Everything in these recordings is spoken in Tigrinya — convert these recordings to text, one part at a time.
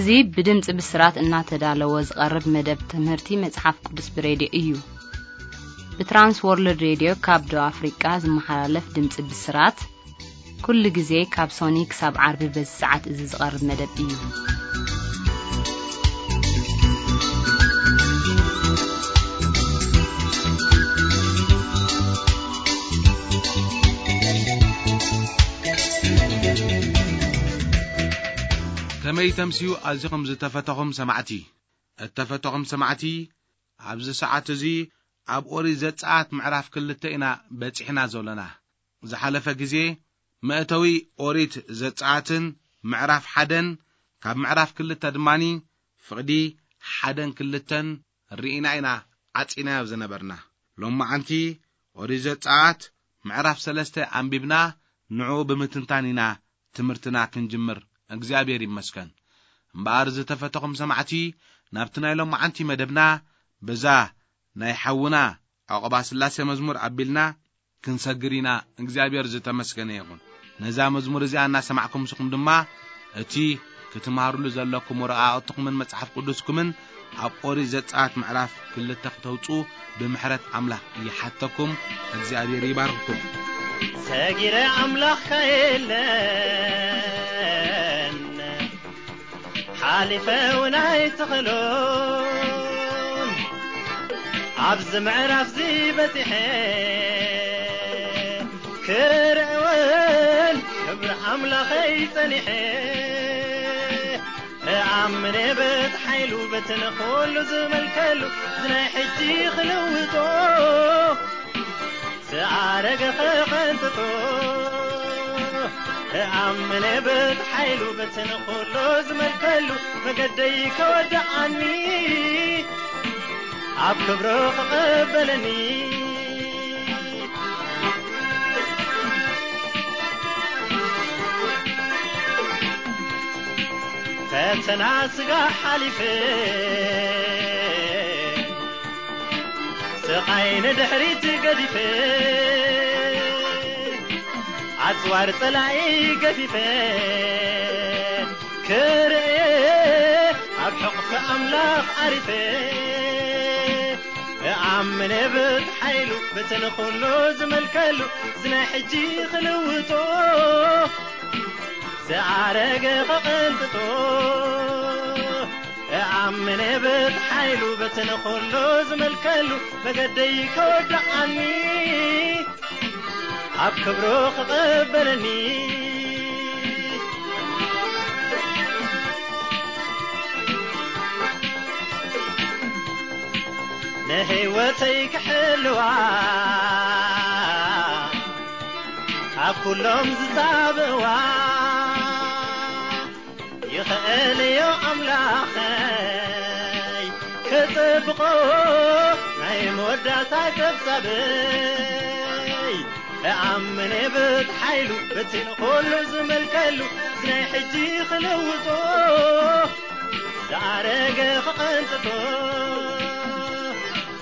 እዚ ብድምፂ ብስራት እናተዳለወ ዝቐርብ መደብ ትምህርቲ መጽሓፍ ቅዱስ ብሬድዮ እዩ። ብትራንስ ወርልድ ሬድዮ ካብ ደቡብ ኣፍሪቃ ዝመሓላለፍ ድምፂ ብስራት፣ ኩሉ ግዜ ካብ ሶኒ ክሳብ ዓርቢ በዚ ሰዓት እዚ ዝቐርብ መደብ እዩ። ከመይ ተምስዩ ኣዚኹም ዝተፈተኹም ሰማዕቲ? እተፈተኹም ሰማዕቲ፣ ኣብዚ ሰዓት እዚ ኣብ ኦሪት ዘጸኣት ምዕራፍ ክልተ ኢና በጺሕና ዘሎና። ዝሓለፈ ግዜ መእተዊ ኦሪት ዘጸኣትን ምዕራፍ ሓደን ካብ ምዕራፍ ክልተ ድማኒ ፍቕዲ ሓደን ክልተን ርኢና ኢና ዓጺናዮ ዝነበርና። ሎማዓንቲ ኦሪት ዘጸኣት ምዕራፍ ሰለስተ ኣንቢብና ንዕኡ ብምትንታን ኢና ትምህርትና ክንጅምር እግዚኣብሔር ይመስገን። እምበኣር ዝተፈተኹም ሰማዕቲ ናብቲ ናይ ሎማዓንቲ መደብና በዛ ናይ ሓውና ዕቑባ ስላሴ መዝሙር ኣቢልና ክንሰግር ኢና። እግዚኣብሔር ዝተመስገነ ይኹን። ነዛ መዝሙር እዚኣ እናሰማዕኩም ንስኹም ድማ እቲ ክትምሃርሉ ዘለኩም ወረቓቕትኹምን መጽሓፍ ቅዱስኩምን ኣብ ኦሪት ዘጸኣት ምዕራፍ ክልተ ክተውጽኡ ብምሕረት ኣምላኽ ይሓተኩም። እግዚኣብሔር ይባርኽኩም። ሰጊረ ኣምላኽካ የለን፣ ሓሊፈ እውን ኣይትኽእሎን። ኣብዚ ምዕራፍ እዚ በጺሐ ክርኢ እውን ክብሪ ኣምላኸይ ጸኒሐ እኣምን በቲ ሓይሉ በቲ ንኹሉ ዝመልከሉ እዚ ናይ ሕጂ ክልውጦ ዝኣረገ ኸቐንጥጦ እኣምን በቲ ሓይሉ በቲ ንኹሉ ዝመልከሉ መገደይ ከወድኣኒ ኣብ ክብሩ ክቐበለኒ። ፈተና ስጋ ሓሊፈ ስቓይ ንድሕሪት ገዲፈ ኣጽዋር ጸላኢ ገፊፈ ክርኤ ኣብ ሕቕፊ ኣምላኽ ዓሪፈ እኣምን ብቲ ሓይሉ በቲ ንኹሉ ዝመልከሉ እዚ ናይ ሕጂ ክልውጦ ዝኣረገ ኸቐንጥጦ እኣምን ብቲ ሓይሉ በቲ ንኹሉ ዝመልከሉ መገደይ ከወድኣኒ ኣብ ክብሩ ክቐበለኒ ንህይወተይ ክሕልዋ ካብ ኩሎም ዝጻብእዋ ይኽእል እዩ ኣምላኸይ ክጽብቖ ናይ መወዳእታ ጸብጻበይ እኣምን ብቲ ሓይሉ በቲ ንኹሉ ዝመልከሉ እዚ ናይ ሕጂ ክልውጦ ዝኣረገ ክቐንጥጦ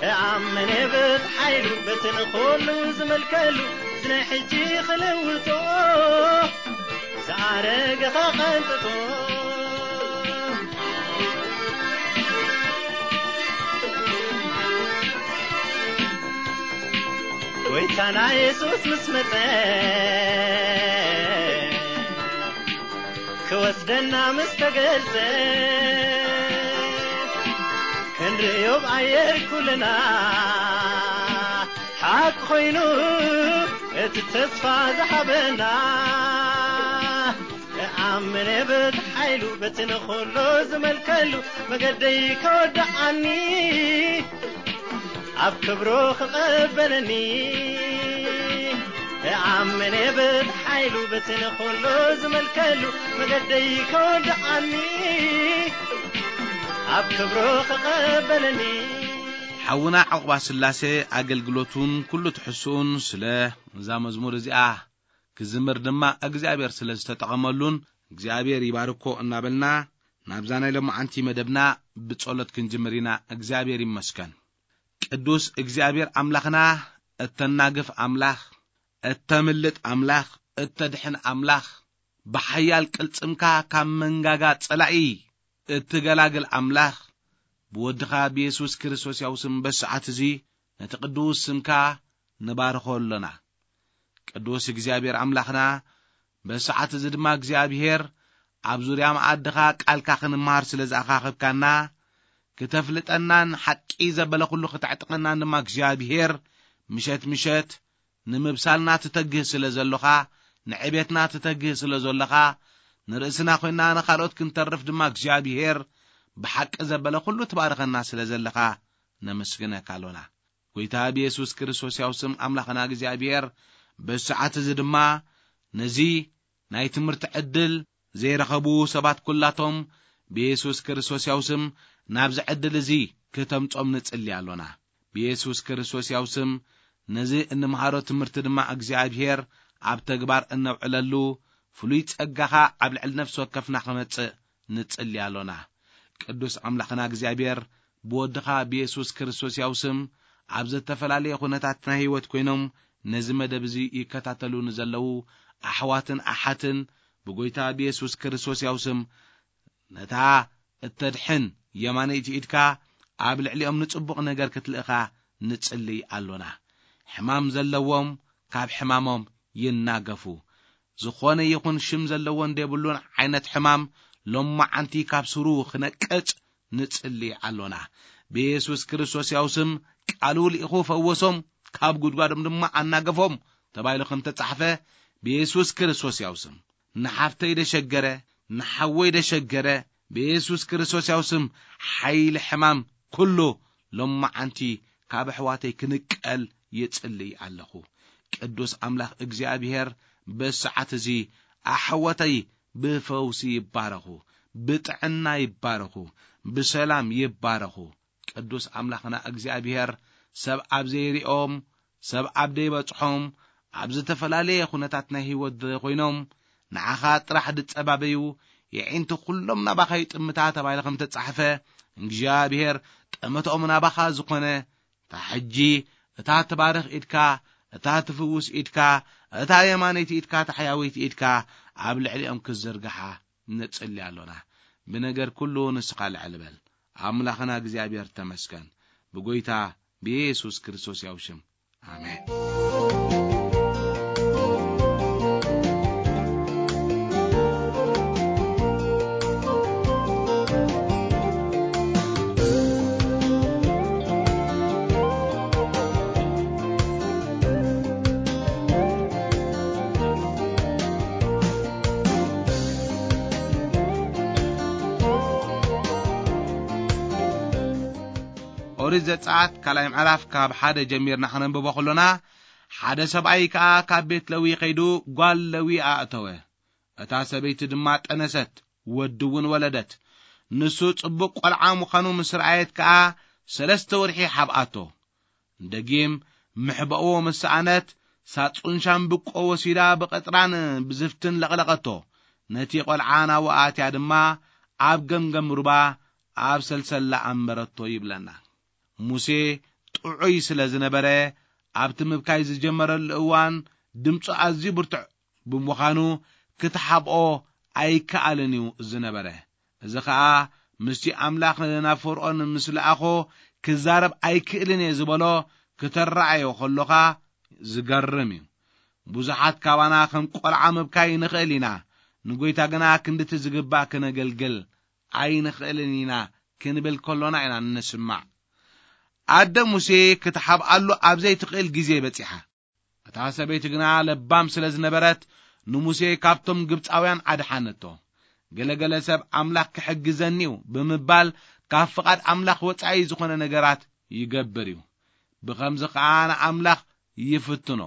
እኣምን ብቲ ሓይሉ በቲ ንኹሉ ዝመልከሉ እዚ ናይ ሕጂ ክልውጦ ዝኣረገ ኸቐንጥጦ ጎይታና የሱስ ምስ መጸ ክወስደና ምስ ተገልጸ ክንርእዮ ብኣየር ኩልና ሓቂ ኮይኑ እቲ ተስፋ ዝሃበና እኣምን ብቲ ሓይሉ በቲ ንኹሉ ዝመልከሉ መገደይ ከወድኣኒ ኣብ ክብሩ ክቐበለኒ እኣምን ብቲ ሓይሉ በቲ ንኹሉ ዝመልከሉ መገደይ ከወድኣኒ ኣብ ክብሩ ክቐበለኒ ሓውና ዕቑባ ስላሴ ኣገልግሎቱን ኩሉ ትሕስኡን ስለ እዛ መዝሙር እዚኣ ክዝምር ድማ እግዚኣብሔር ስለ ዝተጠቐመሉን እግዚኣብሔር ይባርኮ እናበልና ናብዛ ናይ ሎማዓንቲ መደብና ብጸሎት ክንጅምር ኢና። እግዚኣብሔር ይመስገን። ቅዱስ እግዚኣብሔር ኣምላኽና፣ እተናግፍ ኣምላኽ፣ እተምልጥ ኣምላኽ፣ እተድሕን ኣምላኽ፣ ብሓያል ቅልጽምካ ካብ መንጋጋ ጸላኢ እትገላግል ኣምላኽ፣ ብወድኻ ብየሱስ ክርስቶስ ያው ስም በሰዓት እዚ ነቲ ቅዱስ ስምካ ንባርኾ ኣሎና። ቅዱስ እግዚኣብሔር ኣምላኽና፣ በሰዓት እዚ ድማ እግዚኣብሔር ኣብ ዙርያ መኣድኻ ቃልካ ክንመሃር ስለ ዝኣኻኸብካና፣ ክተፍልጠናን ሓቂ ዘበለ ኩሉ ክተዕጥቐናን ድማ እግዚኣብሔር ምሸት ምሸት ንምብሳልና ትተግህ ስለ ዘሎኻ፣ ንዕቤትና ትተግህ ስለ ዘሎኻ፣ ንርእስና ኮይና ንኻልኦት ክንተርፍ ድማ እግዚኣብሔር ብሓቂ ዘበለ ኩሉ ትባርኸና ስለ ዘለኻ ነመስግነካ ኣሎና። ጎይታ ብየሱስ ክርስቶስ ያው ስም ኣምላኽና እግዚኣብሔር በሰዓት እዚ ድማ ነዚ ናይ ትምህርቲ ዕድል ዘይረኸቡ ሰባት ኩላቶም ብየሱስ ክርስቶስ ያው ስም ናብዚ ዕድል እዚ ክተምጾም ንጽሊ ኣሎና። ብየሱስ ክርስቶስ ያው ስም ነዚ እንምሃሮ ትምህርቲ ድማ እግዚኣብሔር ኣብ ተግባር እነውዕለሉ ፍሉይ ጸጋኻ ኣብ ልዕሊ ነፍሲ ወከፍና ክመጽእ ንጽሊ ኣሎና። ቅዱስ ኣምላኽና እግዚኣብሔር ብወድኻ ብየሱስ ክርስቶስ ያው ስም ኣብ ዝተፈላለየ ኩነታት ናይ ህይወት ኮይኖም ነዚ መደብ እዚ ይከታተሉ ንዘለዉ ኣሕዋትን ኣሓትን ብጎይታ ብየሱስ ክርስቶስ ያው ስም ነታ እተድሕን የማነይቲ ኢድካ ኣብ ልዕሊኦም ንጽቡቕ ነገር ክትልእኻ ንጽልይ ኣሎና። ሕማም ዘለዎም ካብ ሕማሞም ይናገፉ። ዝኾነ ይኹን ሽም ዘለዎን ዘይብሉን ዓይነት ሕማም ሎማዓንቲ ካብ ስሩ ክነቅጽ ንጽሊ ኣሎና። ብየሱስ ክርስቶስ ያው ስም ቃሉ ልኢኹ ፈወሶም፣ ካብ ጉድጓዶም ድማ ኣናገፎም ተባሂሉ ከም ተጻሕፈ፣ ብየሱስ ክርስቶስ ያው ስም ንሓፍተይ ደሸገረ፣ ንሓወይ ደሸገረ፣ ብየሱስ ክርስቶስ ያው ስም ሓይሊ ሕማም ኩሉ ሎማዓንቲ ካብ ኣሕዋተይ ክንቀል ይጽልይ ኣለኹ። ቅዱስ ኣምላኽ እግዚኣብሔር በሰዓት እዚ ኣሕወተይ ብፈውሲ ይባረኹ፣ ብጥዕና ይባረኹ፣ ብሰላም ይባረኹ። ቅዱስ ኣምላኽና እግዚኣብሔር ሰብ ኣብ ዘይሪኦም፣ ሰብ ኣብ ዘይበጽሖም፣ ኣብ ዝተፈላለየ ኩነታት ናይ ህይወት ኮይኖም ንዓኻ ጥራሕ ድጸባበዩ፣ የዒንቲ ኩሎም ናባኻ ይጥምታ ተባሂሉ ከም ተጻሕፈ፣ እግዚኣብሔር ጠመትኦም ናባኻ ዝኾነ፣ እታ ሕጂ እታ ትባርኽ ኢድካ፣ እታ ትፍውስ ኢድካ፣ እታ የማነይቲ ኢድካ፣ እታ ሕያወይቲ ኢድካ ኣብ ልዕሊኦም ክዝርግሓ ንጽሊ ኣሎና። ብነገር ኩሉ ንስኻ ልዕል በል። ኣምላኽና እግዚኣብሔር ተመስገን። ብጎይታ ብየሱስ ክርስቶስ ያው ሽም። ኣሜን። ኦሪት ዘጸኣት ካልኣይ ምዕራፍ ካብ ሓደ ጀሚርና ከነንብቦ ከሎና፣ ሓደ ሰብኣይ ከኣ ካብ ቤት ለዊ ከይዱ ጓል ለዊ ኣእተወ። እታ ሰበይቲ ድማ ጠነሰት፣ ወዲ እውን ወለደት። ንሱ ጽቡቕ ቈልዓ ምዃኑ ምስ ረኣየት ከኣ ሰለስተ ወርሒ ሓብኣቶ። ደጊም ምሕባእዎ ምስ ሰኣነት፣ ሳጹን ሻምብቆ ወሲዳ ብቐጽራን ብዝፍትን ለቕለቐቶ። ነቲ ቈልዓ ናብኡ ኣትያ ድማ ኣብ ገምገም ሩባ ኣብ ሰልሰላ ኣንበረቶ ይብለና። ሙሴ ጥዑይ ስለ ዝነበረ፣ ኣብቲ ምብካይ ዝጀመረሉ እዋን ድምፁ ኣዝዩ ብርቱዕ ብምዃኑ፣ ክትሓብኦ ኣይከኣልን እዩ ዝነበረ። እዚ ኸኣ ምስቲ ኣምላኽ ናብ ፈርኦን ምስ ለኣኾ ክዛረብ ኣይክእልን እየ ዝበሎ ክተረኣዮ ከሎኻ ዝገርም እዩ። ብዙሓት ካባና ከም ቈልዓ ምብካይ ንኽእል ኢና፣ ንጐይታ ግና ክንድቲ ዝግባእ ክነገልግል ኣይንኽእልን ኢና ክንብል ከሎና ኢና እንስማዕ። ኣደ ሙሴ ክትሓብኣሉ ኣብ ዘይትኽእል ግዜ በጺሓ። እታ ሰበይቲ ግና ለባም ስለ ዝነበረት፣ ንሙሴ ካብቶም ግብጻውያን ኣድሓነቶ። ገለገለ ሰብ ኣምላኽ ክሕግዘኒ እዩ ብምባል፣ ካብ ፍቓድ ኣምላኽ ወጻኢ ዝኾነ ነገራት ይገብር እዩ። ብኸምዚ ኸኣ ንኣምላኽ ይፍትኖ።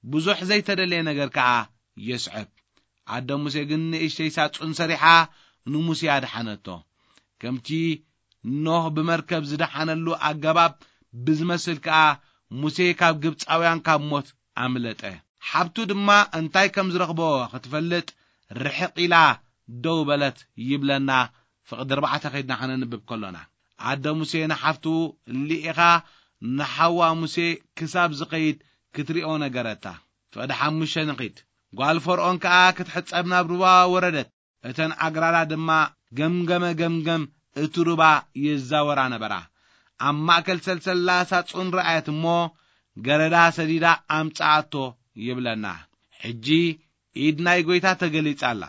ብዙሕ ዘይተደልየ ነገር ከኣ የስዕብ። ኣደ ሙሴ ግን ንእሽተይ ሳጹን ሰሪሓ ንሙሴ ኣድሓነቶ። ከምቲ ኖህ ብመርከብ ዝደሓነሉ ኣገባብ ብዝመስል ከኣ፣ ሙሴ ካብ ግብጻውያን ካብ ሞት ኣምለጠ። ሓብቱ ድማ እንታይ ከም ዝረኽቦ ክትፈልጥ ርሕቕ ኢላ ደው በለት ይብለና። ፍቕዲ ኣርባዕተ ከይድና ከነንብብ ከሎና፣ ኣደ ሙሴ ንሓፍቱ ልኢኻ ንሓዋ ሙሴ ክሳብ ዝኸይድ ክትሪኦ ነገረታ። ፍቕዲ ሓሙሽተ ንኺድ። ጓል ፈርኦን ከኣ ክትሕጸብ ናብ ሩባ ወረደት። እተን ኣግራዳ ድማ ገምገመ ገምገም እቲ ሩባ ይዛወራ ነበራ። ኣብ ማእከል ሰልሰላ ሳጹን ረኣየት እሞ፣ ገረዳ ሰዲዳ ኣምጽኣቶ ይብለና። ሕጂ ኢድ ናይ ጐይታ ተገሊጻ ኣላ።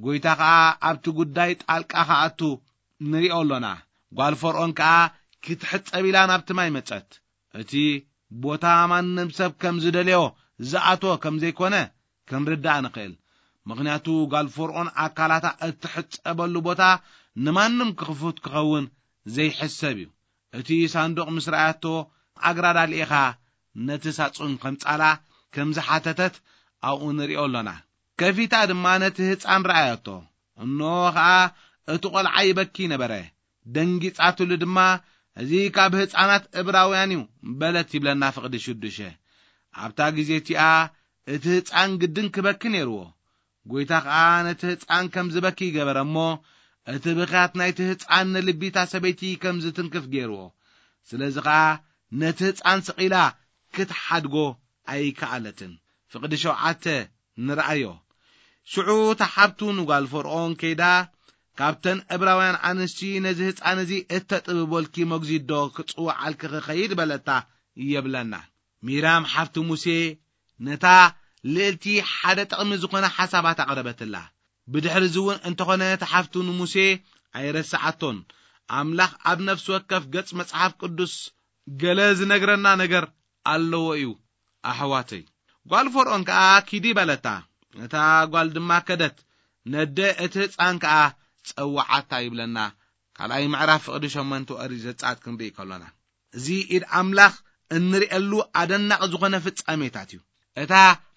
ጐይታ ኸኣ ኣብቲ ጉዳይ ጣልቃ ክኣቱ ንሪኦ ኣሎና። ጓል ፈርኦን ከኣ ክትሕጸብ ኢላ ናብቲ ማይ መጸት። እቲ ቦታ ማንም ሰብ ከም ዝደልዮ ዝኣትዎ ከም ዘይኮነ ክንርዳእ ንኽእል። ምኽንያቱ ጓል ፈርኦን ኣካላታ እትሕጸበሉ ቦታ ንማንም ክፉት ክኸውን ዘይሕሰብ እዩ። እቲ ሳንዱቕ ምስ ረኣያቶ፣ ኣግራዳ ልኢኻ ነቲ ሳጹን ከምጻላ ከም ዝሓተተት ኣብኡ ንሪኦ ኣሎና። ከፊታ ድማ ነቲ ህጻን ረኣያቶ። እንሆ ኸኣ እቲ ቈልዓ ይበኪ ነበረ። ደንጊጻትሉ ድማ፣ "እዚ ካብ ህጻናት እብራውያን እዩ" በለት ይብለና ፍቕዲ ሽዱሸ። ኣብታ ግዜ እቲኣ እቲ ህጻን ግድን ክበኪ ነይርዎ። ጐይታ ኸኣ ነቲ ህጻን ከም ዝበኪ ገበረ እሞ፣ እቲ ብኽያት ናይቲ ህጻን ንልቢታ ሰበይቲ ከም ዝትንክፍ ገይርዎ። ስለዚ ኸኣ ነቲ ህጻን ስቕ ኢላ ክትሓድጎ ኣይከኣለትን። ፍቕዲ ሸውዓተ ንርኣዮ። ሽዑ እታ ሓብቱ ንጓል ፈርኦን ከይዳ፣ "ካብተን እብራውያን ኣንስቲ ነዚ ህጻን እዚ እተጥብበልኪ መግዚት ዶ ክጽውዓልኪ ክኸይድ?" በለታ ይብለና። ሚራም ሓፍቲ ሙሴ ነታ ልእልቲ ሓደ ጥቕሚ ዝኾነ ሓሳባት ኣቕረበትላ። ብድሕሪ እዚ እውን እንተኾነ፣ እታ ሓፍቱ ንሙሴ ኣይረስዓቶን። ኣምላኽ ኣብ ነፍሲ ወከፍ ገጽ መጽሓፍ ቅዱስ ገለ ዝነግረና ነገር ኣለዎ እዩ፣ ኣሕዋተይ። ጓል ፈርኦን ከኣ፣ "ኪዲ" በለታ። እታ ጓል ድማ ከደት፣ ነደ እቲ ህጻን ከኣ ጸውዓታ ይብለና። ካልኣይ ምዕራፍ ፍቕዲ ሸሞንተ ኦሪት ዘጸኣት ክንርኢ ከሎና፣ እዚ ኢድ ኣምላኽ እንርእየሉ ኣደናቂ ዝኾነ ፍጻሜታት እዩ። እታ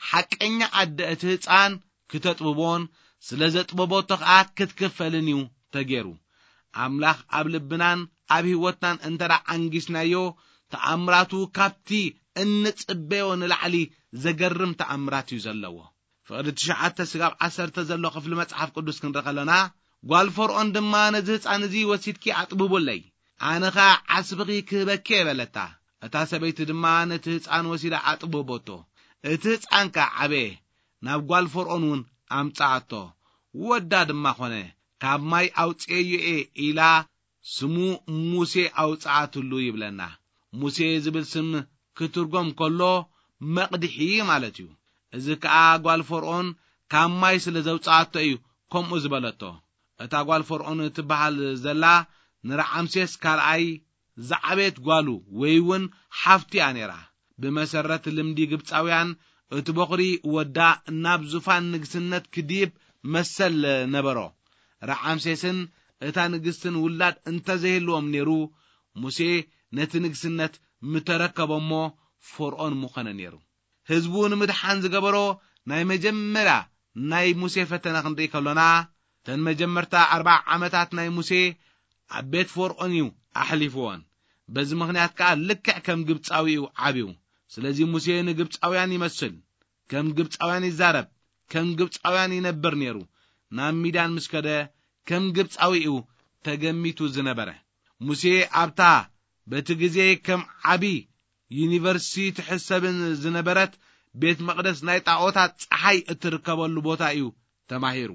ሓቀኛ ኣደ እቲ ህጻን ክተጥብቦን ስለ ዘጥበቦቶ ከኣ ክትክፈልን እዩ ተገይሩ። ኣምላኽ ኣብ ልብናን ኣብ ህይወትናን እንተ ደኣ ዓንጊስናዮ፣ ተኣምራቱ ካብቲ እንጽበዮ ንላዕሊ ዘገርም ተኣምራት እዩ ዘለዎ። ፍቕዲ ትሽዓተ ስጋብ ዓሰርተ ዘሎ ክፍሊ መጽሓፍ ቅዱስ ክንርኢ ከለና፣ ጓል ፈርኦን ድማ፣ "ነዚ ህጻን እዚ ወሲድኪ ኣጥብቡለይ፣ ኣነ ኸኣ ዓስብኺ ክህበኪ" እየ በለታ። እታ ሰበይቲ ድማ ነቲ ህጻን ወሲዳ ኣጥብቦቶ። እቲ ህጻን ከኣ ዓበየ፣ ናብ ጓል ፈርኦን እውን ኣምጽኣቶ። ወዳ ድማ ኾነ፣ "ካብ ማይ ኣውጽኤዮ እየ" ኢላ ስሙ ሙሴ ኣውጽኣትሉ ይብለና። ሙሴ ዝብል ስም ክትርጎም ከሎ መቕድሒ ማለት እዩ። እዚ ከኣ ጓል ፈርኦን ካብ ማይ ስለ ዘውጽኣቶ እዩ ከምኡ ዝበለቶ። እታ ጓል ፈርኦን እትበሃል ዘላ ንረዓምሴስ ካልኣይ ዝዓበየት ጓሉ ወይ እውን ሓፍቱ እያ ነይራ። ብመሰረት ልምዲ ግብጻውያን፣ እቲ በኹሪ ወዳ ናብ ዙፋን ንግስነት ክድይብ መሰል ነበሮ። ረዓምሴስን እታ ንግስትን ውላድ እንተዘይህልዎም ነይሩ፣ ሙሴ ነቲ ንግስነት ምተረከቦ እሞ ፈርኦን ምኾነ ነይሩ። ህዝቡ ንምድሓን ዝገበሮ ናይ መጀመርያ ናይ ሙሴ ፈተነ ክንርኢ ከሎና፣ እተን መጀመርታ ኣርብዓ ዓመታት ናይ ሙሴ ኣብ ቤት ፈርኦን እዩ ኣሕሊፍዎን። በዚ ምኽንያት ከኣ ልክዕ ከም ግብጻዊ እዩ ዓብዩ። ስለዚ ሙሴ ንግብጻውያን ይመስል፣ ከም ግብጻውያን ይዛረብ፣ ከም ግብጻውያን ይነብር ነይሩ። ናብ ሚድያን ምስ ከደ ከም ግብጻዊ እዩ ተገሚቱ ዝነበረ። ሙሴ ኣብታ በቲ ግዜ ከም ዓቢ ዩኒቨርሲቲ ትሕሰብን ዝነበረት ቤት መቕደስ ናይ ጣዖታት ጸሓይ እትርከበሉ ቦታ እዩ ተማሂሩ።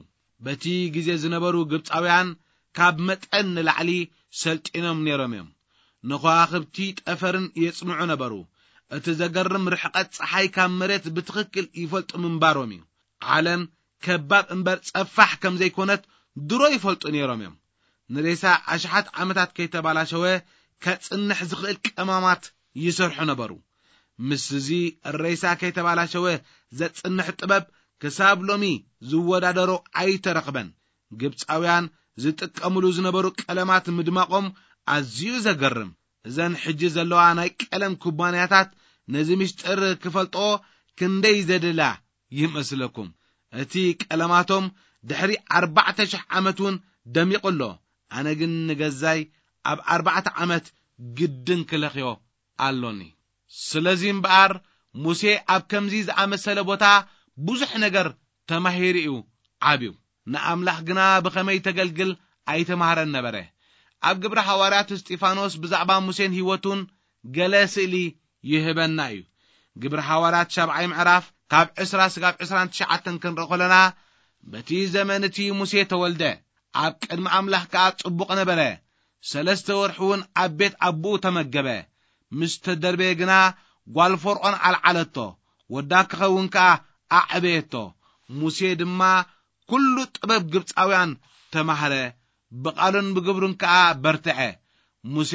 በቲ ግዜ ዝነበሩ ግብጻውያን ካብ መጠን ንላዕሊ ሰልጢኖም ነይሮም እዮም። ንኸዋኽብቲ ጠፈርን የጽንዑ ነበሩ። እቲ ዘገርም ርሕቀት ጸሓይ ካብ መሬት ብትኽክል ይፈልጡ ምንባሮም እዩ። ዓለም ከባብ እምበር ጸፋሕ ከም ዘይኮነት ድሮ ይፈልጡ ነይሮም እዮም። ንሬሳ ኣሽሓት ዓመታት ከይተባላሸወ ከጽንሕ ዝኽእል ቀማማት ይሰርሑ ነበሩ። ምስ እዚ ሬሳ ከይተባላሸወ ዘጽንሕ ጥበብ ክሳብ ሎሚ ዝወዳደሮ ኣይተረኽበን። ግብጻውያን ዝጥቀምሉ ዝነበሩ ቀለማት ምድማቖም ኣዝዩ ዘገርም። እዘን ሕጂ ዘለዋ ናይ ቀለም ኩባንያታት ነዚ ምስጢር ክፈልጦ ክንደይ ዘደላ ይመስለኩም? እቲ ቀለማቶም ድሕሪ ኣርባዕተ ሽሕ ዓመት እውን ደሚቑ ኣሎ። ኣነ ግን ንገዛይ ኣብ ኣርባዕተ ዓመት ግድን ክለኽዮ ኣሎኒ። ስለዚ እምበኣር፣ ሙሴ ኣብ ከምዚ ዝኣመሰለ ቦታ ብዙሕ ነገር ተማሂሩ እዩ ዓብዩ። ንኣምላኽ ግና ብኸመይ ተገልግል ኣይተማህረን ነበረ። ኣብ ግብሪ ሃዋርያት፣ እስጢፋኖስ ብዛዕባ ሙሴን ህይወቱን ገለ ስእሊ ይህበና እዩ። ግብሪ ሃዋርያት ሻብዓይ ምዕራፍ ካብ ዕስራ ስጋብ ዕስራን ትሽዓተን ክንርኢ ከለና፣ በቲ ዘመን እቲ ሙሴ ተወልደ፣ ኣብ ቅድሚ ኣምላኽ ከኣ ጽቡቕ ነበረ። ሰለስተ ወርሒ እውን ኣብ ቤት ኣቦኡ ተመገበ። ምስ ተደርበየ ግና ጓል ፈርዖን ኣልዓለቶ። ወዳ ክኸውን ከኣ ኣዕበየቶ። ሙሴ ድማ ኩሉ ጥበብ ግብጻውያን ተማህረ። ብቓሉን ብግብሩን ከኣ በርትዐ። ሙሴ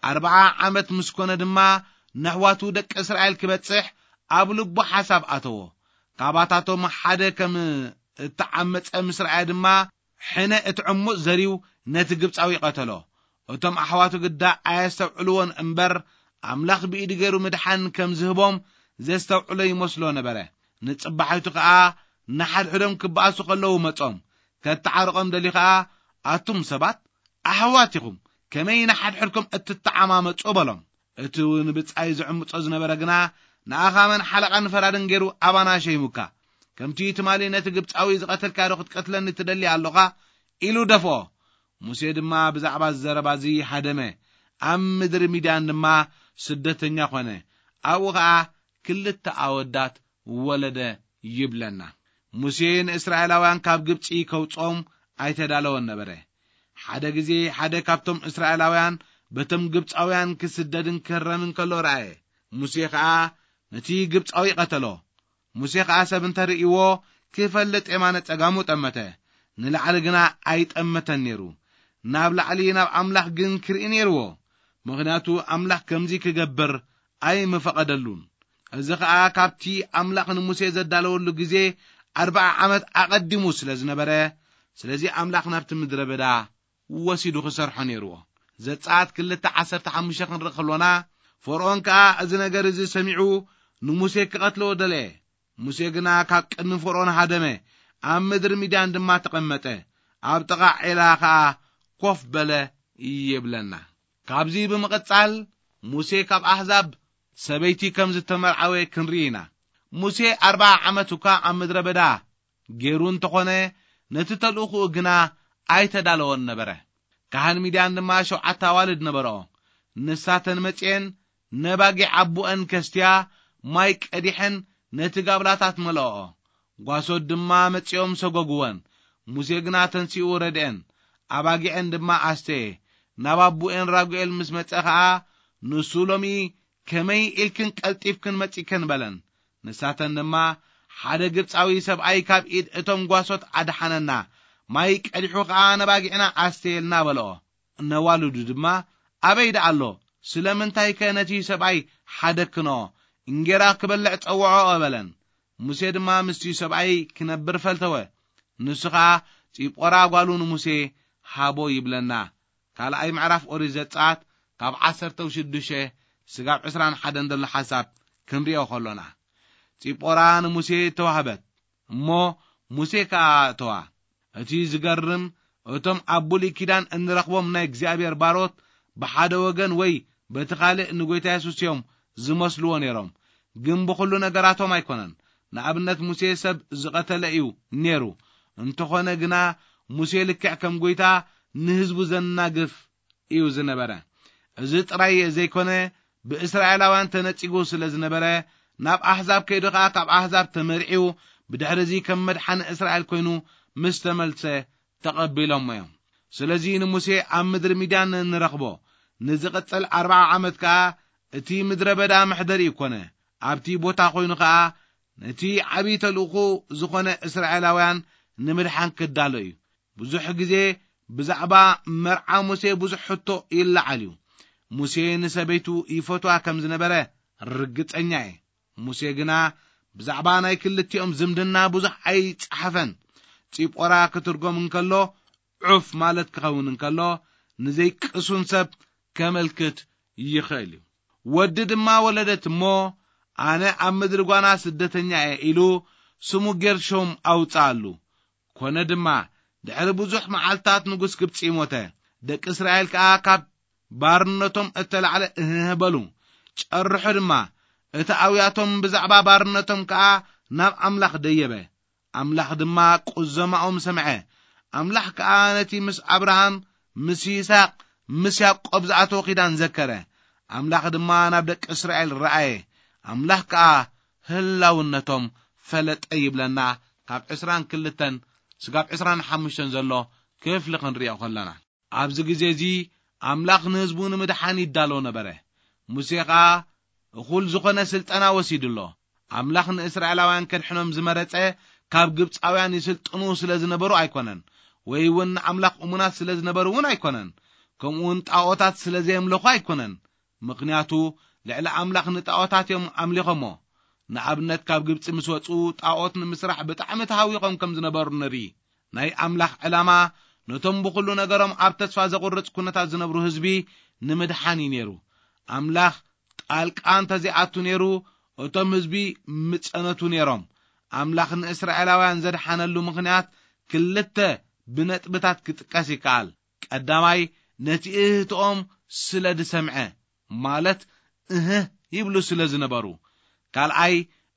ኣርብዓ ዓመት ምስ ኮነ ድማ ነሕዋቱ ደቂ እስራኤል ክበጽሕ ኣብ ልቡ ሓሳብ ኣተዎ። ካባታቶም ሓደ ከም እተዓመጸ ምስ ረኣየ ድማ ሕነ እቲ ዕሙጽ ዘርዩ ነቲ ግብጻዊ ቀተሎ። እቶም ኣሕዋቱ ግዳ ኣየስተውዕልዎን እምበር፣ ኣምላኽ ብኢዱ ገይሩ ምድሓን ከም ዝህቦም ዘስተውዕሎ ይመስሎ ነበረ። ንጽባሒቱ ከኣ ንሓድሕዶም ክበኣሱ ከለዉ መጾም። ከተዓርቖም ደልዩ ከኣ፣ ኣቱም ሰባት ኣሕዋት ኢኹም፣ ከመይ ንሓድሕድኩም እትተዓማመጹ? በሎም። እቲ ንብጻይ ዝዕምጾ ዝነበረ ግና፣ ንኣኻ መን ሓለቓን ፈራድን ገይሩ ኣባና ሸይሙካ? ከምቲ ትማሊ ነቲ ግብጻዊ ዝቐተልካዮ ዶ ክትቀትለኒ ትደሊ ኣሎኻ? ኢሉ ደፍኦ። ሙሴ ድማ ብዛዕባ እዚ ዘረባ እዚ ሃደመ፣ ኣብ ምድሪ ሚድያን ድማ ስደተኛ ኾነ። ኣብኡ ኸኣ ክልተ ኣወዳት ወለደ ይብለና። ሙሴ ንእስራኤላውያን ካብ ግብጺ ከውጽኦም ኣይተዳለወን ነበረ። ሓደ ግዜ ሓደ ካብቶም እስራኤላውያን በቶም ግብጻውያን ክስደድን ክህረምን ከሎ ረኣየ። ሙሴ ኸኣ ነቲ ግብጻዊ ቀተሎ። ሙሴ ኸኣ ሰብ እንተ ርእይዎ ክፈልጥ የማነ ጸጋሙ ጠመተ፣ ንላዕሊ ግና ኣይጠመተን ነይሩ። ናብ ላዕሊ ናብ ኣምላኽ ግን ክርኢ ነይርዎ፣ ምኽንያቱ ኣምላኽ ከምዚ ክገብር ኣይምፈቐደሉን። እዚ ኸኣ ካብቲ ኣምላኽ ንሙሴ ዘዳለወሉ ግዜ ኣርብዓ ዓመት ኣቐዲሙ ስለ ዝነበረ፣ ስለዚ ኣምላኽ ናብቲ ምድረ በዳ ወሲዱ ክሰርሖ ነይርዎ። ዘጸኣት ክልተ ዓሰርተ ሓሙሽተ ክንርኢ ከሎና፣ ፈርዖን ከኣ እዚ ነገር እዚ ሰሚዑ ንሙሴ ክቐትሎ ደለየ። ሙሴ ግና ካብ ቅድሚ ፈርዖን ሃደመ፣ ኣብ ምድሪ ሚድያን ድማ ተቐመጠ። ኣብ ጥቓ ዔላ ኸኣ ኮፍ በለ ይብለና። ካብዚ ብምቕጻል ሙሴ ካብ ኣህዛብ ሰበይቲ ከም ዝተመርዓወ ክንርኢ ኢና። ሙሴ ኣርብዓ ዓመት እኳ ኣብ ምድረ በዳ ገይሩ እንተኾነ፣ ነቲ ተልእኾኡ ግና ኣይተዳለወን ነበረ። ካህን ሚድያን ድማ ሸውዓተ ኣዋልድ ነበርኦ። ንሳተን መጺኤን ነባጊዕ ኣቦአን ከስትያ ማይ ቀዲሐን ነቲ ጋብላታት መልኦኦ። ጓሶት ድማ መጺኦም ሰጎግወን። ሙሴ ግና ተንሲኡ ረድኤን፣ ኣባጊዐን ድማ ኣስተየ። ናብ ኣቦኤን ራጉኤል ምስ መጸ ኸኣ፣ ንሱ ሎሚ ከመይ ኢልክን ቀልጢፍክን መጺእክን በለን። ንሳተን ድማ፣ ሓደ ግብጻዊ ሰብኣይ ካብ ኢድ እቶም ጓሶት ኣድሓነና፣ ማይ ቀዲሑ ኸኣ ነባጊዕና ኣስተየልና በልኦ። ነዋልዱ ድማ፣ ኣበይ ደኣ ኣሎ? ስለምንታይከ ነቲ ሰብኣይ ሓደክንኦ? እንጌራ ክበልዕ ጸውዖኦ በለን። ሙሴ ድማ ምስቲ ሰብኣይ ክነብር ፈልተወ። ንሱ ኸኣ ጺጶራ ጓሉ ንሙሴ ሃቦ ይብለና። ካልኣይ ምዕራፍ ኦሪት ዘጸኣት ካብ ዓሰርተ ሽዱሽተ ስጋብ ዕስራን ሓደን ዘሎ ሓሳብ ክንሪኦ ከሎና፣ ጺጶራ ንሙሴ ተዋህበት፣ እሞ ሙሴ ከኣ ኣእተዋ። እቲ ዝገርም፣ እቶም ኣብ ብሉይ ኪዳን እንረኽቦም ናይ እግዚኣብሔር ባሮት ብሓደ ወገን ወይ በቲ ካልእ ንጎይታ የሱስ እዮም ዝመስልዎ ነይሮም። ግን ብኹሉ ነገራቶም ኣይኮነን። ንኣብነት ሙሴ ሰብ ዝቐተለ እዩ ነይሩ። እንተኾነ ግና ሙሴ ልክዕ ከም ጎይታ ንህዝቡ ዘናግፍ እዩ ዝነበረ። እዚ ጥራይ ዘይኮነ ብእስራኤላውያን ተነጺጉ ስለ ዝነበረ ናብ ኣሕዛብ ከይዱ ኸኣ ካብ ኣሕዛብ ተመርዒው ብድሕሪ እዚ ከም መድሓኒ እስራኤል ኮይኑ ምስ ተመልሰ ተቐቢሎሞ እዮም። ስለዚ ንሙሴ ኣብ ምድሪ ሚድያን ንረኽቦ። ንዝቕጽል ኣርብዓ ዓመት ከኣ እቲ ምድረ በዳ መሕደሪኡ ኮነ። ኣብቲ ቦታ ኮይኑ ከኣ ነቲ ዓብዪ ተልእኾ ዝኾነ እስራኤላውያን ንምድሓን ክዳሎ እዩ። ብዙሕ ግዜ ብዛዕባ መርዓ ሙሴ ብዙሕ ሕቶ ይለዓል እዩ። ሙሴ ንሰበይቱ ይፈትዋ ከም ዝነበረ ርግጸኛ እየ። ሙሴ ግና ብዛዕባ ናይ ክልቲኦም ዝምድና ብዙሕ ኣይጸሓፈን። ጺጶራ ክትርጎም እንከሎ ዑፍ ማለት ክኸውን እንከሎ፣ ንዘይቅሱን ሰብ ከመልክት ይኽእል እዩ። ወዲ ድማ ወለደት እሞ፣ ኣነ ኣብ ምድሪ ጓና ስደተኛ እየ ኢሉ ስሙ ጌርሾም ኣውጽኣሉ። ኮነ ድማ፣ ድሕሪ ብዙሕ መዓልታት ንጉስ ግብጺ ሞተ። ደቂ እስራኤል ከኣ ካብ ባርነቶም እተላዕለ እህህ በሉ። ጨርሑ ድማ፣ እቲ ኣውያቶም ብዛዕባ ባርነቶም ከኣ ናብ ኣምላኽ ደየበ። ኣምላኽ ድማ ቁዘማኦም ሰምዐ። ኣምላኽ ከኣ ነቲ ምስ ኣብርሃም፣ ምስ ይስሐቅ፣ ምስ ያዕቆብ ዝኣተወ ኪዳን ዘከረ። ኣምላኽ ድማ ናብ ደቂ እስራኤል ረኣየ። ኣምላኽ ከኣ ህላውነቶም ፈለጠ ይብለና። ካብ ዕስራን ክልተን ስጋብ ዕስራን ሓሙሽተን ዘሎ ክፍሊ ክንሪኦ ከለና፣ ኣብዚ ግዜ እዚ ኣምላኽ ንህዝቡ ንምድሓን ይዳሎ ነበረ። ሙሴ ኸኣ እኹል ዝኾነ ስልጠና ወሲዱ ኣሎ። ኣምላኽ ንእስራኤላውያን ከድሕኖም ዝመረጸ ካብ ግብጻውያን ይስልጥኑ ስለ ዝነበሩ ኣይኮነን፣ ወይ እውን ንኣምላኽ እሙናት ስለ ዝነበሩ እውን ኣይኮነን፣ ከምኡ እውን ጣኦታት ስለ ዘየምለኹ ኣይኮነን። ምኽንያቱ ልዕሊ ኣምላኽ ንጣኦታት እዮም ኣምሊኾሞ። ንኣብነት ካብ ግብጺ ምስ ወጹ ጣኦት ንምስራሕ ብጣዕሚ ተሃዊኾም ከም ዝነበሩ ንርኢ። ናይ ኣምላኽ ዕላማ ነቶም ብኹሉ ነገሮም ኣብ ተስፋ ዘቑርጽ ኩነታት ዝነብሩ ህዝቢ ንምድሓን እዩ ነይሩ። ኣምላኽ ጣልቃ እንተዘይኣቱ ነይሩ፣ እቶም ህዝቢ ምጸነቱ ነይሮም። ኣምላኽ ንእስራኤላውያን ዘድሓነሉ ምኽንያት ክልተ ብነጥብታት ክጥቀስ ይከኣል። ቀዳማይ፣ ነቲ እህትኦም ስለ ዝሰምዐ፣ ማለት እህ ይብሉ ስለ ዝነበሩ። ካልኣይ፣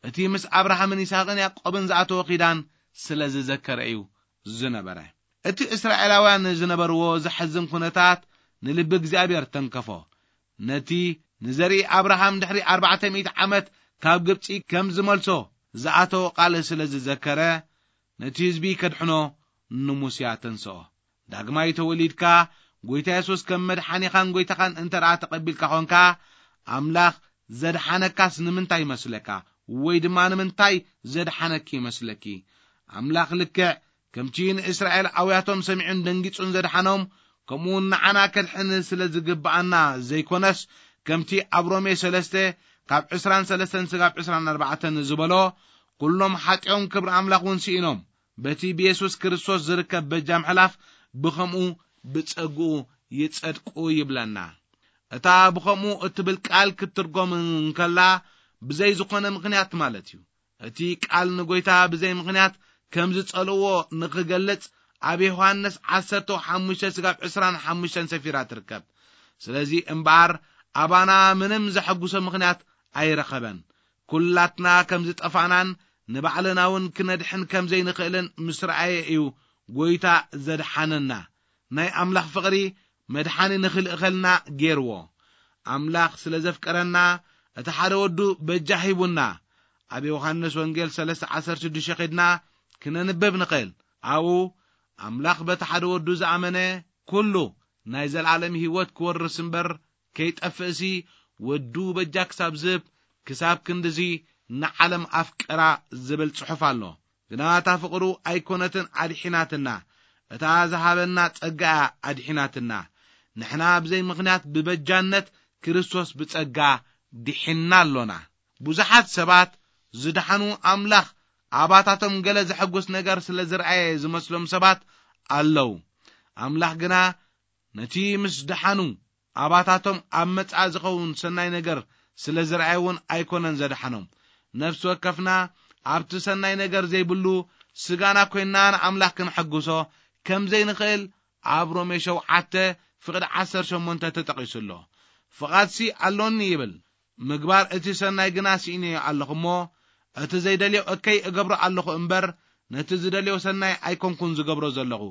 እቲ ምስ ኣብርሃምን ይስሐቅን ያዕቆብን ዝኣተወ ኪዳን ስለ ዝዘከረ እዩ ዝነበረ። እቲ እስራኤላውያን ዝነበርዎ ዘሕዝን ኩነታት ንልቢ እግዚኣብሔር ተንከፎ። ነቲ ንዘርኢ ኣብርሃም ድሕሪ ኣርባዕተ ሚእቲ ዓመት ካብ ግብጺ ከም ዝመልሶ ዝኣተወ ቃል ስለ ዝዘከረ፣ ነቲ ህዝቢ ከድሕኖ ንሙስያ ተንስኦ። ዳግማይ ተወሊድካ፣ ጎይታ የሱስ ከም መድሓኒኻን ጎይታኻን እንተ ደኣ ተቐቢልካ ኾንካ፣ ኣምላኽ ዘድሓነካስ ንምንታይ ይመስለካ? ወይ ድማ ንምንታይ ዘድሓነኪ ይመስለኪ? ኣምላኽ ልክዕ ከምቲ ንእስራኤል ኣውያቶም ሰሚዑን ደንጊጹን ዘድሓኖም፣ ከምኡ እውን ንዓና ከድሕን ስለ ዝግብኣና ዘይኮነስ፣ ከምቲ ኣብ ሮሜ ሰለስተ ካብ ዕስራን ሰለስተን ስጋብ ዕስራን ኣርባዕተን ዝበሎ፣ ኩሎም ሓጢኦም ክብሪ ኣምላኽ እውን ስኢኖም፣ በቲ ብየሱስ ክርስቶስ ዝርከብ በጃ ምሕላፍ ብኸምኡ ብጸግኡ ይጸድቁ ይብለና። እታ ብኸምኡ እትብል ቃል ክትትርጎም እንከላ፣ ብዘይ ዝኾነ ምኽንያት ማለት እዩ። እቲ ቃል ንጎይታ ብዘይ ምኽንያት ከም ዝጸልእዎ ንኽገልጽ፣ ኣብ ዮሃንስ ዓሰርተ ሓሙሽተ ስጋብ ዕስራን ሓሙሽተን ሰፊራ ትርከብ። ስለዚ እምበኣር፣ ኣባና ምንም ዘሐጉሶ ምኽንያት ኣይረኸበን። ኩላትና ከም ዝጠፋእናን ንባዕልና እውን ክነድሕን ከም ዘይንኽእልን ምስ ረኣየ እዩ ጎይታ ዘድሓነና። ናይ ኣምላኽ ፍቕሪ መድሓኒ ንኽልእኸልና ገይርዎ። ኣምላኽ ስለ ዘፍቀረና፣ እቲ ሓደ ወዱ በጃ ሂቡና። ኣብ ዮሃንስ ወንጌል ሰለስተ ዓሰርተ ሽዱሽተ ኸድና ክነንብብ ንኽእል። ኣብኡ፣ ኣምላኽ በቲ ሓደ ወዱ ዝኣመነ ኩሉ ናይ ዘለኣለም ህይወት ክወርስ እምበር ከይጠፍእሲ፣ ወዱ በጃ ክሳብ ዝህብ፣ ክሳብ ክንድዚ ንዓለም ኣፍቀራ ዝብል ጽሑፍ ኣሎ። ግና እታ ፍቕሩ ኣይኮነትን ኣድሒናትና፣ እታ ዝሃበና ጸጋ እያ ኣድሒናትና። ንሕና ብዘይ ምኽንያት ብበጃነት ክርስቶስ ብጸጋ ድሒንና ኣሎና። ብዙሓት ሰባት ዝደሓኑ ኣምላኽ ኣባታቶም ገለ ዘሐጉስ ነገር ስለ ዝረኣየ ዝመስሎም ሰባት ኣለዉ። ኣምላኽ ግና ነቲ ምስ ደሓኑ ኣባታቶም ኣብ መጻኢ ዝኸውን ሰናይ ነገር ስለ ዝረኣየ እውን ኣይኮነን ዘድሓኖም። ነፍሲ ወከፍና ኣብቲ ሰናይ ነገር ዘይብሉ ስጋና ኮይንና ንኣምላኽ ክንሐጉሶ ከም ዘይንኽእል ኣብ ሮሜ ሸውዓተ ፍቕዲ ዓሰርተ ሸሞንተ ተጠቒሱ ኣሎ። ፍቓድሲ ኣሎኒ ይብል፣ ምግባር እቲ ሰናይ ግና ስኢነዮ ኣለኹ እሞ፣ እቲ ዘይደልዮ እከይ እገብሮ ኣለኹ እምበር፣ ነቲ ዝደልዮ ሰናይ ኣይኮንኩን ዝገብሮ ዘለኹ።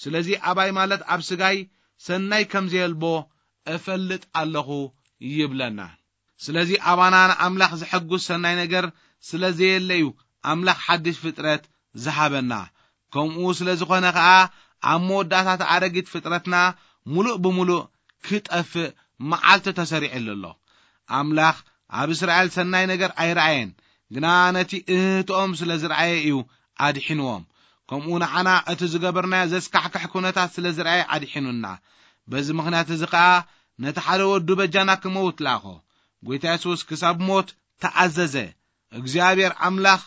ስለዚ ኣባይ ማለት ኣብ ስጋይ ሰናይ ከም ዘየልቦ እፈልጥ ኣለኹ ይብለና። ስለዚ ኣባና ንኣምላኽ ዘሐጉስ ሰናይ ነገር ስለ ዘየለ እዩ ኣምላኽ ሓድሽ ፍጥረት ዝሃበና። ከምኡ ስለ ዝኾነ ኸኣ ኣብ መወዳእታ እቲ ኣረጊት ፍጥረትና ምሉእ ብምሉእ ክጠፍእ መዓልቲ ተሰሪዕሉ ኣሎ። ኣምላኽ ኣብ እስራኤል ሰናይ ነገር ኣይረኣየን፣ ግና ነቲ እህትኦም ስለ ዝረኣየ እዩ ኣድሒንዎም። ከምኡ ንዓና እቲ ዝገበርናዮ ዘስካሕክሕ ኩነታት ስለ ዝረኣየ ኣድሒኑና። በዚ ምኽንያት እዚ ኸኣ ነቲ ሓደ ወዱ በጃና ክመውት ለኣኾ። ጎይታ የሱስ ክሳብ ሞት ተኣዘዘ። እግዚኣብሔር ኣምላኽ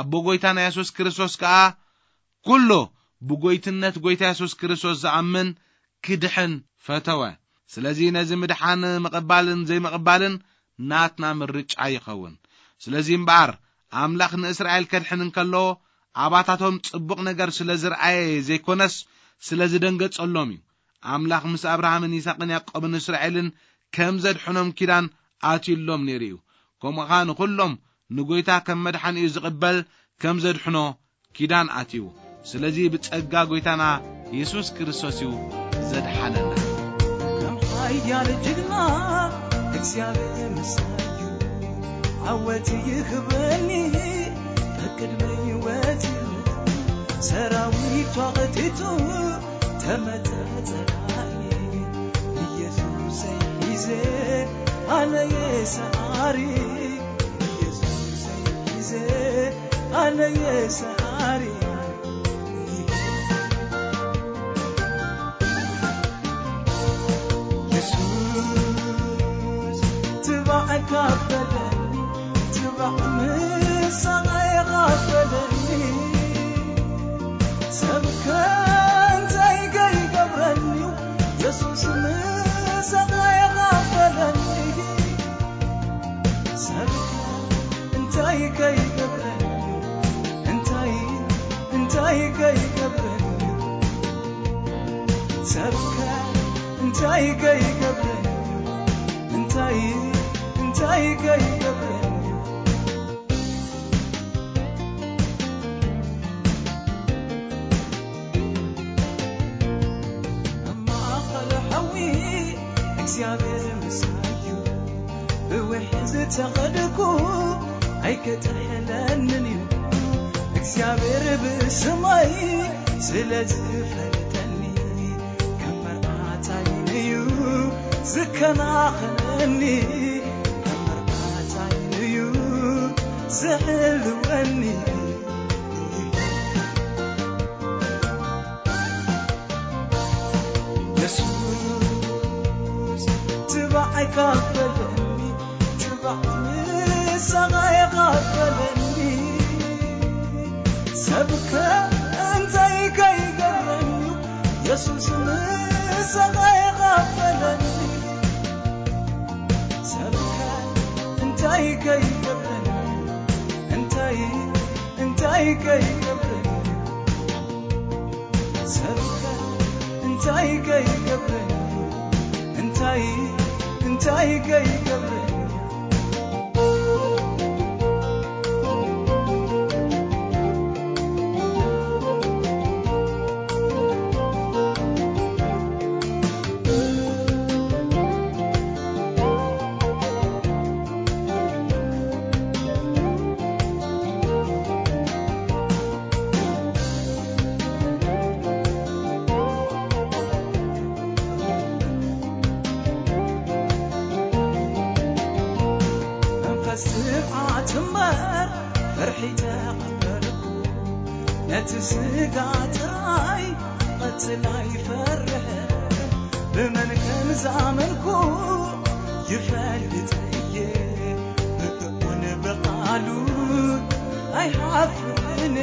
ኣቦ ጎይታና የሱስ ክርስቶስ ከኣ ኩሉ ብጎይትነት ጎይታ የሱስ ክርስቶስ ዝኣምን ክድሕን ፈተወ። ስለዚ ነዚ ምድሓን ምቕባልን ዘይምቕባልን ናትና ምርጫ ይኸውን። ስለዚ እምበኣር ኣምላኽ ንእስራኤል ከድሕን እንከሎ ኣባታቶም ጽቡቕ ነገር ስለ ዝረኣየ ዘይኮነስ ስለ ዝደንገጸሎም እዩ። ኣምላኽ ምስ ኣብርሃምን ይስሐቅን ያዕቆብን እስራኤልን ከም ዘድሕኖም ኪዳን ኣትዩሎም ነይሩ እዩ። ከምኡ ኸኣ ንኹሎም ንጎይታ ከም መድሓኒኡ ዝቕበል ከም ዘድሕኖ ኪዳን ኣትዩ። ስለዚ ብጸጋ ጎይታና የሱስ ክርስቶስ እዩ ዘድሓነና። ከም ሓያል ጅግና እግዚኣብሔር ምሳዩ ዓወት ይኽበኒ በቅድሚ ህይወት ሰራዊት ተቐቲቱ ተመተ ጸላኢ ኢየሱሰይ ሒዘ ኣነ የሰዓሪ ኢየሱሰይ ሒዘ ኣነ የሰዓሪ የሱስ ትባዕ ካፈለኒ ትባዕ ምሳና የኻፈለኒ ሰብከ እንታይ ከይገብረኒ የሱስ ምሳና የኻፈለኒ ሰብከ እንታይ ከይገብረኒ እንታይ እንታይ ከይገብረኒ ሰብከ እንታይ ከይገብረኒ እንታይ እንታይ ከይገብረኒ ኣብ ማእኸል ሓዊ እግዚኣብሔር ምሳዩ ብውሒ ዝተኸድኩ ኣይከጥሕለንን እዩ እግዚኣብሔር ብስመይ ስለ ዝፈልጠኒ ከም መርዓታይ እዩ ዝከናኸነኒ ከም መርዓታይ እዩ ዝሕልወኒ የሱስ ትባዕ ኣይካፈለኒ ትባዕ ምሳኻ የኻፈለኒ ሰብከ እንታይ ከይገብረኒ የሱስ ምሳኻ የኻፈለኒ ሰብከ እንታይ ከይገብረኒ እንታይ እንታይ ከይገብረኒ ሰብከ እንታይ ከይገብረኒ እንታይ እንታይ ከይገብረኒ መንፈስ ትብዓት እምበር ፍርሒ ተቐበልኩ ነቲ ስጋ ጥራይ ክቐትል ኣይፈርሕን ብመን ከም ዝኣመንኩ ይፈልጥ እየ ብእኡን ብቓሉን ኣይሓፍርን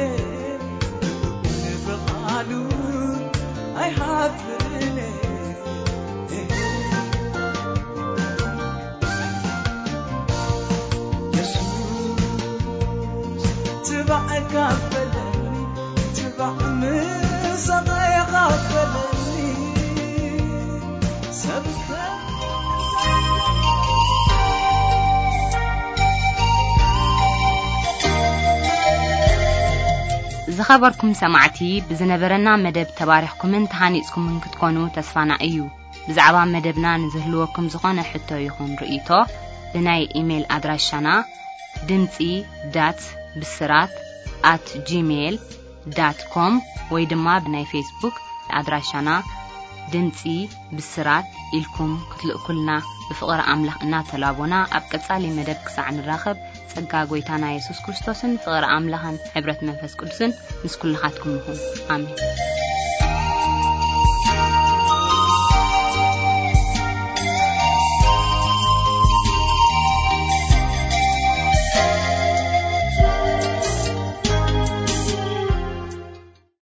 ብእኡን ብቓሉን ኣይሓፍርን የሱስ ትባዕ ካፈለኒ ትባዕ ምሳኻ የኻፈለኒ ሰብከ ዝኸበርኩም ሰማዕቲ ብዝነበረና መደብ ተባሪኽኩምን ተሃኒጽኩምን ክትኮኑ ተስፋና እዩ። ብዛዕባ መደብና ንዝህልወኩም ዝኾነ ሕቶ ይኹን ርእይቶ ብናይ ኢሜይል ኣድራሻና ድምጺ ዳት ብስራት ኣት ጂሜይል ዳት ኮም ወይ ድማ ብናይ ፌስቡክ ኣድራሻና ድምጺ ብስራት ኢልኩም ክትልእኩልና ብፍቕሪ ኣምላኽ እናተላቦና ኣብ ቀጻሊ መደብ ክሳዕ ንራኸብ ጸጋ ጎይታና የሱስ ክርስቶስን ፍቕሪ ኣምላኽን ሕብረት መንፈስ ቅዱስን ምስ ኩልኻትኩም ይኹን። ኣሜን።